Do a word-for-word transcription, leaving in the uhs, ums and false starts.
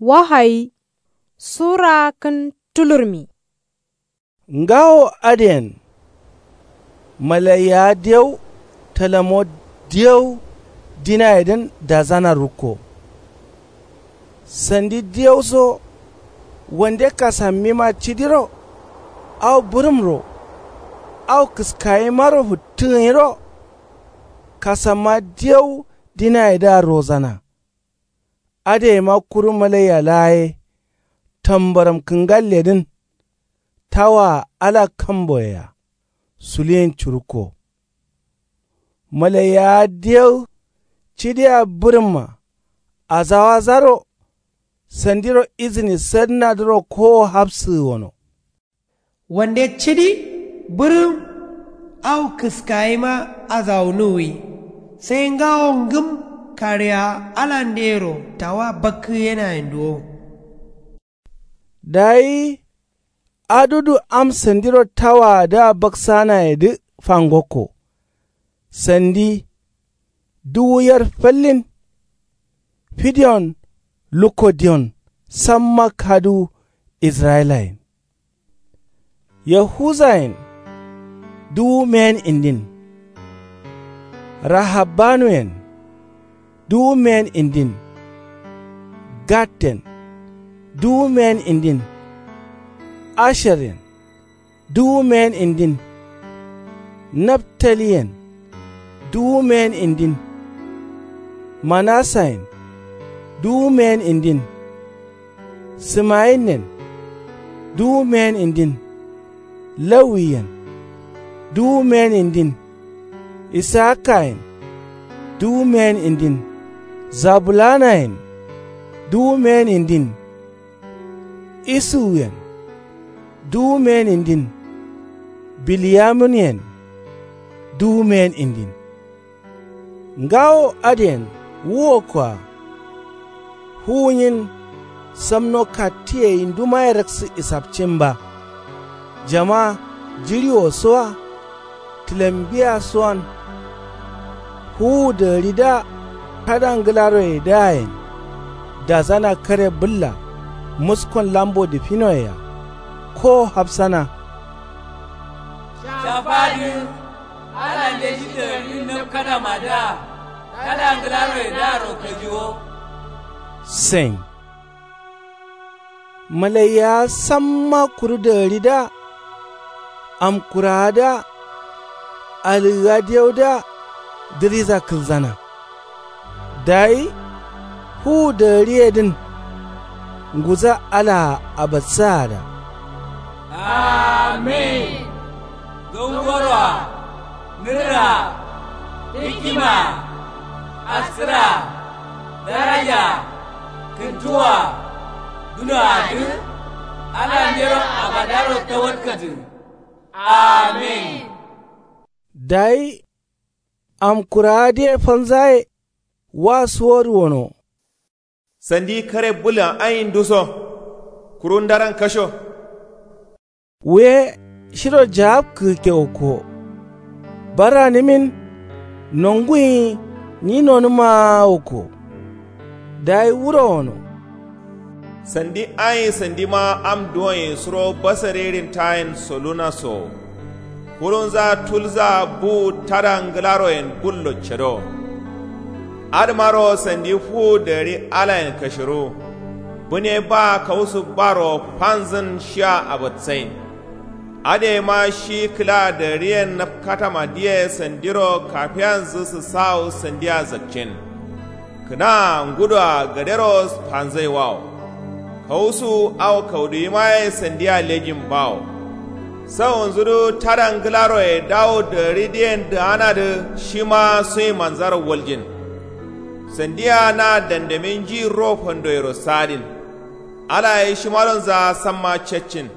Wahayi sura kǝn tulurmi. Ngawo adǝyen malaiyawa diyau talamo diyau dinayedǝn dazana rukko. Sandi diyauso wande kasammima cidiro au bǝrǝmro au kǝskayimaro fǝttǝgǝnyiro kasamma diyau dinayedǝa rozana. Adǝ yema kuru malaiya laa ye tambaram kǝngalledǝn tawaa ala kamboyea suliyin curukko. Malaiyawa diyau cidiya bǝrǝmma azawazaro sandiro izǝni sadǝnadǝro kowo hafsǝgǝ wono. Wande cidi bǝrǝm au kǝskayima azawunuwwi sai ngawo ngǝm kaɍeya alandeyero tawa bakkǝyenayen duwo. Dayi adudu am sandiro tawaadǝa baksanayedǝ fangokko. Sandi duwu yer fallin. Fidiyon lukko diyon samma kaduwu israyilayen. Yahuzayen duwu meyen indin. Rahabbanuyen duwu meyen indin. Gadden duwu meyen indin. Asheryen duwu meyen indin. Naftaliyen duwu meyen indin. Manasayen duwu meyen indin. Simayinen duwu meyen indin. Lawiyen duwu meyen indin. Isakayen duwu meyen indin. Zabulanayen duwu meyen indin. Isuwuyen duwu meyen indin. Biliyamunyen duwu meyen indin. Ngawo adǝyen wu wokkoa. Fuwunyin samno kattǝye yindumaye raksǝ isapcin ba. Jama jiɍiwosoa tǝlambiyasuwan. Fuwu dagǝridǝa tada ngǝlaroyedǝayen dazana kare bǝlla muskon lambo dǝfinoyea kowo hafsana. Shafadǝ alande shi dagǝridǝn nabkatamadǝa tada ngǝlaroyedǝaro kajiwo. Sen malaiyawa samma kuru dagǝridǝa amkurawadǝa alǝgǝ adiyaudǝa dǝriza kǝlzana. Dayi fuwu dagǝriyedǝn nguza alaa abatsaada. Amin. Gangoroa nǝrraa hikkimaa askǝraa darajaa kǝntuwaa dunoadǝ alandero abadaro tawatkatǝ. Amin. Dayi amkurawadǝye fanzaye wa suwodu wono. Sandi kare bǝlan ayin duso kuru ndaran kasho. Wuye shiro jagabkǝgǝkke wokko. Barranǝmin nonguyi nyi nonǝmaa wokko. Dayi wuro wono. Sandi ayin sandima am duwonyi suro basarerin tayin solunasowo. Kurunza tulzaa buwu tada ngǝlaroyen bullo cedowo. Adǝmaro sandi fuwu dagǝri alayen kashiruwu. Bǝne baa kausu baro fanzǝn shia abatsain. Adǝ yema shi kǝla dagǝriyen nabkatamadǝye sandiro kafiyanzǝ sǝsawu sandia zakcin. Kǝnaa ngudoa gadero fanzaiwawo. Kausu au kauduwimaye sandia lejin bawo. Sawunzudǝ tada ngǝlaroye dawu dagǝridǝyen dǝganadǝ shima suyimanzaro waljin. Sandia na dandamin nji ro fandoyero sadin. Alaye shimadonza samma caccin.